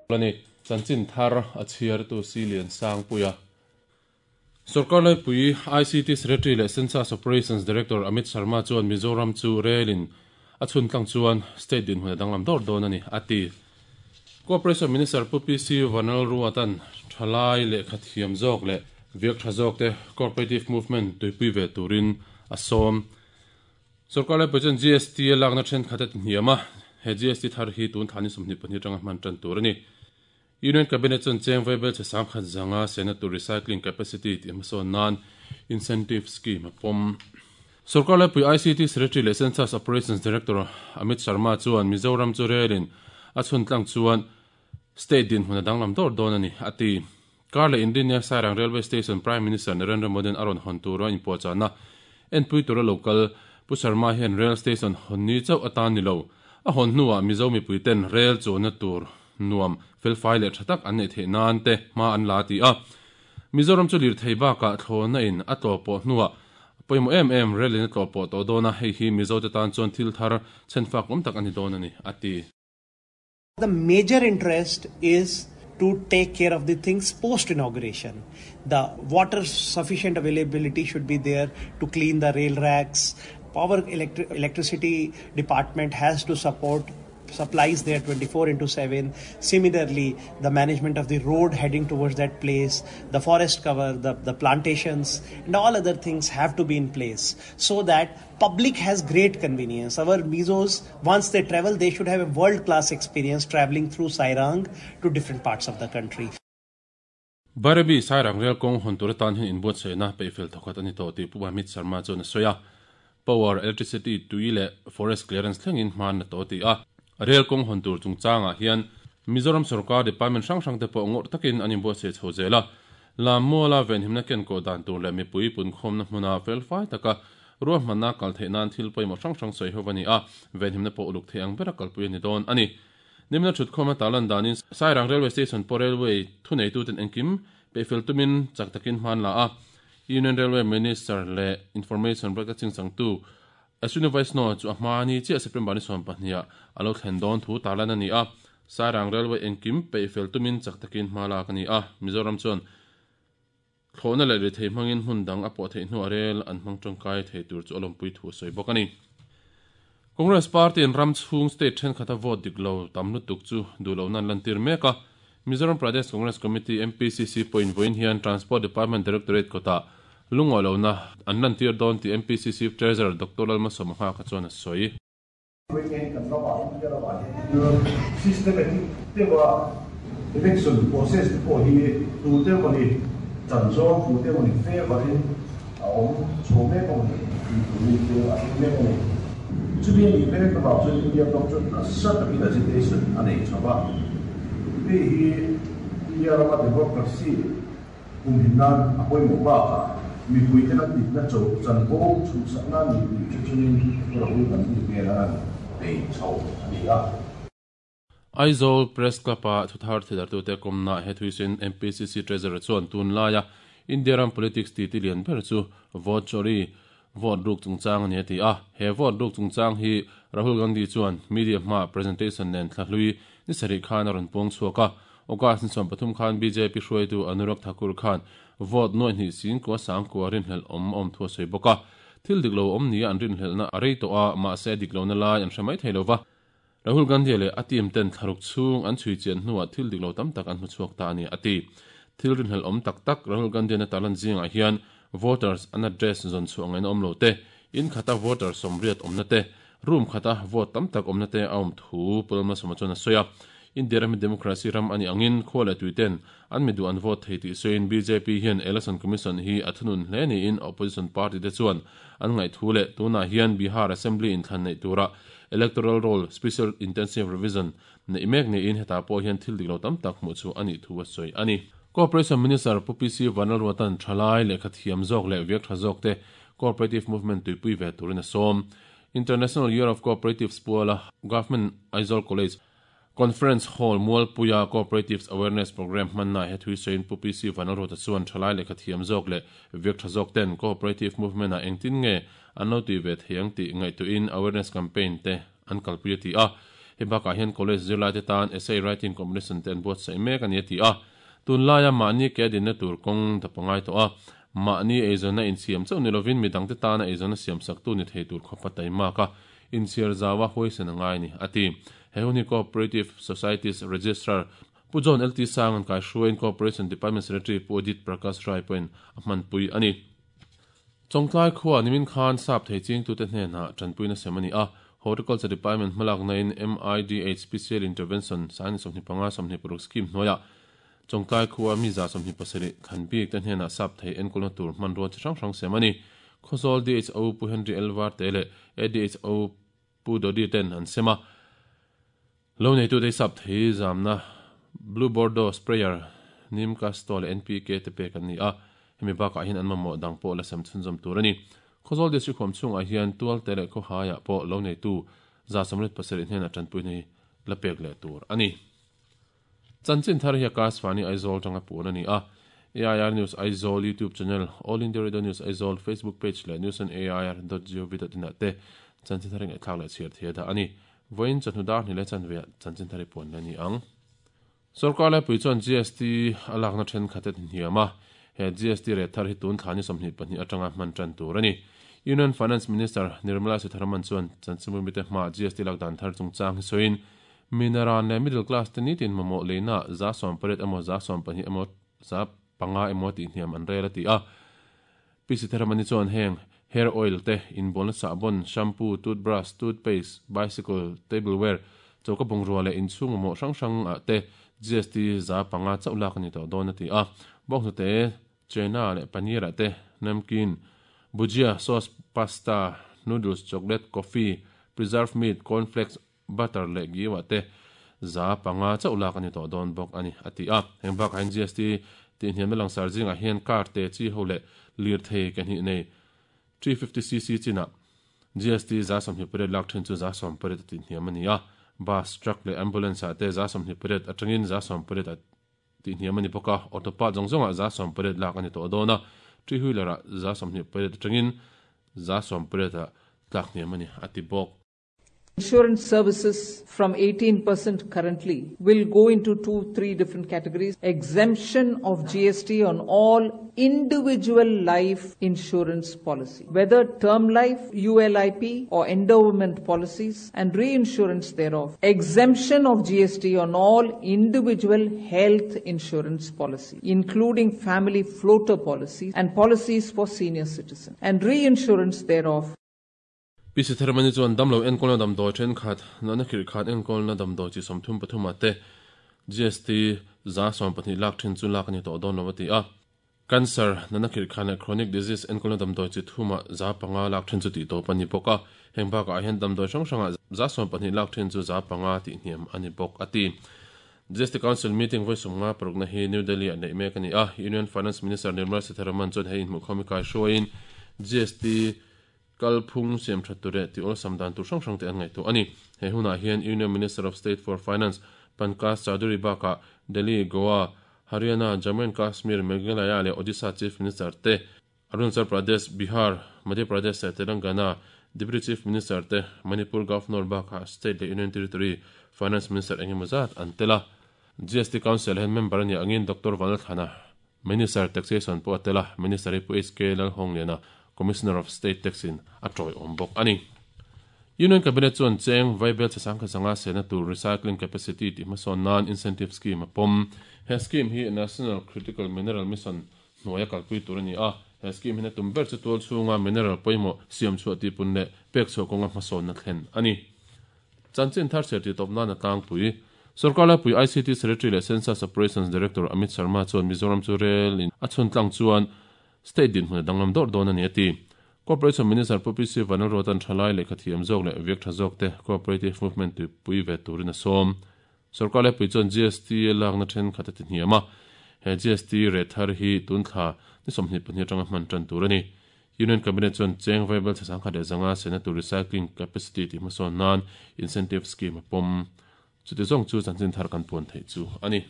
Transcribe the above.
A ni. Chanchin thar a chhiartu Silian Sangpuia. Sorkar laipui ICT Secretary leh Census Operations Director Amit Sharma chuan Mizoram chu rel in a chhun tlang chuan state dinhmun a danglam dawr dawn a ni, a ti. Cooperation Minister Pu PC Vanlalruatan thalai lehkha thiam zawk leh viak tha zawk te cooperative movement tuipui ve turin a sawm. Sorkar laipui chuan GST a lakna thenkhat a ti hniam a, he GST thar hi tun thla ni 22 atanga hman tan tur a ni. Union Cabinet chuan cheng vaibel chhe sangkhat zanga sena tur recycling capacity tih hmasawn nan incentive scheme a pawm. Sorkar laipui ICT Secretary leh Census Operations Director Amit Sharma chuan Mizoram chu relin a chhun tlang chuan state dinhmun a danglam dawr dawn a ni, a ti. Kar leh Inrinnia Sairang Railway Station Prime Minister Narendra Modi-a'n a rawn hawn tura inpuahchahna enpui tura lo kal Pu Sharma hian rail station hawn ni chauh atan ni lo, a hawn hnuah Mizo mipuiten rail chuanna tur nuam, felfai leh tha tak an neih theih nan te hma an la ti a. Mizoram chu lirthei bakah thlawhna in a tlawh pawh hnuah pawimawh em em rel in a tlawh pawh tawh dawn a, hei hi Mizote tan chuan thil thar chhenfak awm tak a ni dawn a ni, a ti. The major interest is to take care of the things post inauguration. The water sufficient availability should be there to clean the rail racks. Power electricity department has to support supplies there 24 into 7. Similarly, the management of the road heading towards that place, the forest cover, the, the plantations, and all other things have to be in place so that public has great convenience. Our Mizos, once they travel, they should have a world-class experience traveling through Sairang to different parts of the country. Bairabi Sairang Rel kawng hawn tur atan hian inbuatsaihna peihfel thawkhat a ni tawh tih Pu Amit Sharma chuan a sawi a. Power, electricity, tui leh forest clearance thlengin hman a tawh a ti a. Rel kawng hawn tur chungchangah hian Mizoram sorkar department hrang hrang te pawh ngawrh takin an inbuatsaih chho zel a. Lammuala venhimna kenkawh dan tur leh mipui punkhawmna hmuna felfai taka ruahmanna kal theih nan thil pawimawh hrang hrang sawi ho a ni a, venhimna pawh uluk thei ang bera kalpui a ni dawn a ni. Nimina thutkhawm a tarlan danin Sairang Railway Station pawh Railway thuneituten engkim peihfel tumin chak takin hman la a, Union Railway Minister leh Information Broadcasting changtu Ashwini Vaishnaw chu a hma ni chiah September ni 12 ah a lo thlen dawn thu tarlan a ni a, Sairang Railway engkim peihfel tumin chak takin hma lak a ni a, Mizoram chuan thlawhna leh rethei hmangin hmun dang a pawh theih hnuah rel an hmang tangkai thei tur chu a lawmpui thu a sawi bawk a ni. Congress Party in ram chhung state thenkhat a vote dik lo tam lutuk chu duh lohna an lantir mek a, Mizoram Pradesh Congress Committee, MPCC, pawhin vawiin hian Transport Department Directorate kawtah lungawi lohna an lantir dawn tih MPCC Treasurer Doctor Lalmasawma Nghaka chuan a sawi. Vawiin kan ramah India ramah hian thil systematic deuha election process te pawh hi tute emawni chan zawng, tute emawni favour in a awm chho mek a ni tih turin thil a thleng mek a ni. Chumi a nih mek avang chuan India ram chuan nasa takin agitation a nei chho va. Hei hi India rama democracy Kumhim nan a pawimawh bakah mipuite kan dikna cho chanvo chhuhsakna ni tih hre chungin Rahul Gandhi hmel a rawn bei chho a ni a. Aizawl Press Club-a thuthar thidartute kawmna he thuisin MPCC Treasurer chuan tunlaia India ram politics titi lian ber chu vote chori, vote ruk chungchang a ni a ti a. He vote ruk chungchang hi Rahul Gandhi chuan media hmaah presentation nen thlahlui ni sarih khan a rawn puang chhuak a. August ni 13 khan bjp hruaitu Anurag Thakur khan vote nuaih hnih singkua sangkua rinhlelh awm a awm thu a sawi bawk a. Thil dik lo awm nia an rinhlelhna a rei tawh a, mahse a dik lohna lai an hre mai thei lo va. Rahul Gandhi leh a team ten thlaruk chhung an chhui chian hnuah thil dik lo tam tak an hmu chhuak ta a ni, a ti. Thil rinhlelh awm tak tak Rahul Gandhi-na tarlan zingah hian voters an address zawn chhuah ngaihna awm lo te, in khata voter sawmriat awmna te, room khata vote tam tak awmna te a awm thu Pu Lalmalsawma chuan a sawi a. India ram hi democracy ram a nih angin khua leh tui ten an mi duh an vote thei tih sawiin bjp hian Election Commission hi a thunun hle niin opposition party te chuan an ngaih thu leh tunah hian Bihar Assembly inthlan neih tura Electoral Roll Special Intensive Revision neih mek niin hetah pawh hian thil dik lo tam tak hmuh chu a nih thu a sawi a ni. Cooperation Minister Pu PC Vanlalruata'n thalai lehkha thiam zawk leh viak tha zawk te Cooperative Movement tuipui ve turin a sawm. International Year of Cooperatives puala Government Aizawl College Conference Hall Mualpuia Cooperatives Awareness Programme hmanna he thui sawiin Pu PC Vanlalruata chuan thalai lehkha thiam zawk leh viak tha zawk ten Cooperative Movement ah engtin nge an lo tui ve thei ang tih ngaihtuahin Awareness Campaign te an kalpui a ti a. Hei bakah hian college zirlaite tan essay writing competition te an buatsaih mek a ni a ti a. Tunlaia mahni ke a dinna tur kawng dap a ngai tawh a, mahni eizawnna insiam chauh ni lovin midangte tana eizawnna siamsaktu ni thei tur khawpa taimak a inchhiar zau a huaisen a ngai a ni, a ti. He hun hi Cooperative Societies Registrar Pu John LT Sanga'n kaihruaiin Cooperation Department Secretary Pu Adit Prakash Rai pawhin a hmanpui a ni. Chawngtlai khua nimin khan sap thei chingtute hnenah tanpuina sem a ni a, Horticulture Department hmalaknain MIDH Special Intervention Sangni 25 26 Scheme hnuaiah Chawngtlai khua mi 27 thlan bik te hnenah sap thei enkawlna tur hmanrua chi hrang hrang sem a ni. Khawzawl DHO Pu Henry L Varte leh ADHO Pu Dodi ten an sem a. Lo neitute hi sap thei zamna Blue Bordeaux Sprayer, Neem Casto leh NPK te pek an ni a, hemi bakah hian an mamawh dang pawh la sem chhunzawm tur a ni. Khawzawl District huam chhungah hian Tualte leh Khawhaiah pawh lo neitu 127 hnenah tanpuina hi la pek leh tur a ni. Chanchin thar hi Akashvani Aizawl tanga puan a ni a, AIR News Aizawl YouTube channel, All India Radio News Aizawl Facebook page leh newsonair.gov.in ah te chanchin thar hi ngaihthlak leh chhiar thei a dah a ni. Vawiin chawhnu dar hnih leh chanve ah chanchin thar hi puan leh a ni ang. Sorkar laipui chuan GST a lakna thenkhat a ti hniam a, he GST rate thar hi tun thla ni 22 atanga hman tan tur a ni. Union Finance Minister Nirmala Sitharaman chuan chanchinbu mite hmaah GST lak dan thar chungchang hi sawiin, Minaran leh middle class te nitin mamawh leina 80% emaw 12% emaw 5% emaw tih hniam an rel a ti a. Pi Sitharaman-i chuan heng hair oil te, inbualna sahbawn, shampoo, toothbrush, toothpaste, bicycle, tableware, choka bungrua leh inchhung mamawh hrang hrang ah te GST 5% chauh lak a ni tawh dawn a ti a. Bawnghnute, chena leh paneer ah te, namkeen, bhujia, sauce, pasta, noodles, chocolate, coffee, preserved meat, cornflakes, butter leh ghee ah te 5% chauh lak a ni tawh dawn bawk a ni, a ti a. Heng bakah hian GST tih hniamna langsar zingah hian car te chi ho leh lirthei ke hnih nei 350cc chinah GST 28% lak thin chu 10% a tih hniam a ni a. Bus, truck leh ambulance ah te 28% atangin 10% a tih hniam a ni bawk a. Auto part zawng zawngah 10% lak a ni tawh dawn a, three wheeler ah 28% atangin 10% a tlak hniam a ni, a ti bawk. Insurance services from 18% currently will go into two, three different categories. Exemption of GST on all individual life insurance policy, whether term life, ULIP or endowment policies and reinsurance thereof. Exemption of GST on all individual health insurance policy, including family floater policies and policies for senior citizens and reinsurance thereof. Pi Sitharamani chuan damlo enkawlna damdawi thenkhat, natna khirh khat enkawlna damdawi chi 33 ah te GST 12% lak thin chu lak a ni tawh dawn lo a ti a. Cancer, natna khirh khat leh chronic disease enkawlna damdawi chi thumah 5% lak thin chu tih tawp a ni bawk a. Heng bakah hian damdawi hrang hrangah 12% lak thin chu 5% tih hniam a ni bawk a ti. GST Council meeting vawi 56 na hi New Delhi ah neih mek a ni a. Union Finance Minister Nirmala Sitharaman chuan hei inhmuhkhawm hi kaihruaiin GST Kalphung siam that tur leh tih awlsam dan tur hrang hrang te an ngaihtuah a ni. He hunah hian Union Minister of State for Finance Pankaj Chaudhary bakah Delhi, Goa, Haryana, Jammu and Kashmir, Meghalaya leh Odisha Chief Minister te, Arunachal Pradesh, Bihar, Madhya Pradesh leh Telangana Deputy Chief Minister te, Manipur Governor bakah State leh Union Territory Finance Minister eng emaw zat an tel a. GST Council hian member a nih angin Doctor Vanlalthlana, Minister Taxation pawh a tel a, Minister hi Pu HK Lalhawngliana, Commissioner of State Tax in a tawiawm bawk a ni. Union Cabinet chuan cheng vaibel chhe sangkhat sanga sehna tur recycling capacity tih hmasawn nan incentive scheme a pawm. He scheme hi National Critical Mineral Mission hnuaia kalpui tur a ni a, he scheme hian a tum ber chu tual chhunga mineral pawimawh siamchhuah tihpun leh pekchhuah kawnga hmasawnna thlen a ni. Chanchin thar chhiar tih tawp nan a tlangpui. Sorkar laipui ICT Secretary leh Census Operations Director Amit Sharma chuan Mizoram chu rel in a chhun tlang chuan state dinhmun a danglam dawrh dawn a ni a ti. Corporation Minister Pu PC Vanlalruata'n thalai lehkha thiam zawk leh viak tha zawk te cooperative movement tuipui ve turin a sawm. Sorkar laipui chuan GST lakna thenkhat a ti hniam a, he GST rate thar hi tun thla ni 22 atanga hman tan tur a ni. Union Cabinet chuan cheng vaibel chhe 1500 sena tur recycling capacity tih hmasawn nan incentive scheme a pawm. Chuti zawng chu chanchin thar kan puan theih chu a ni.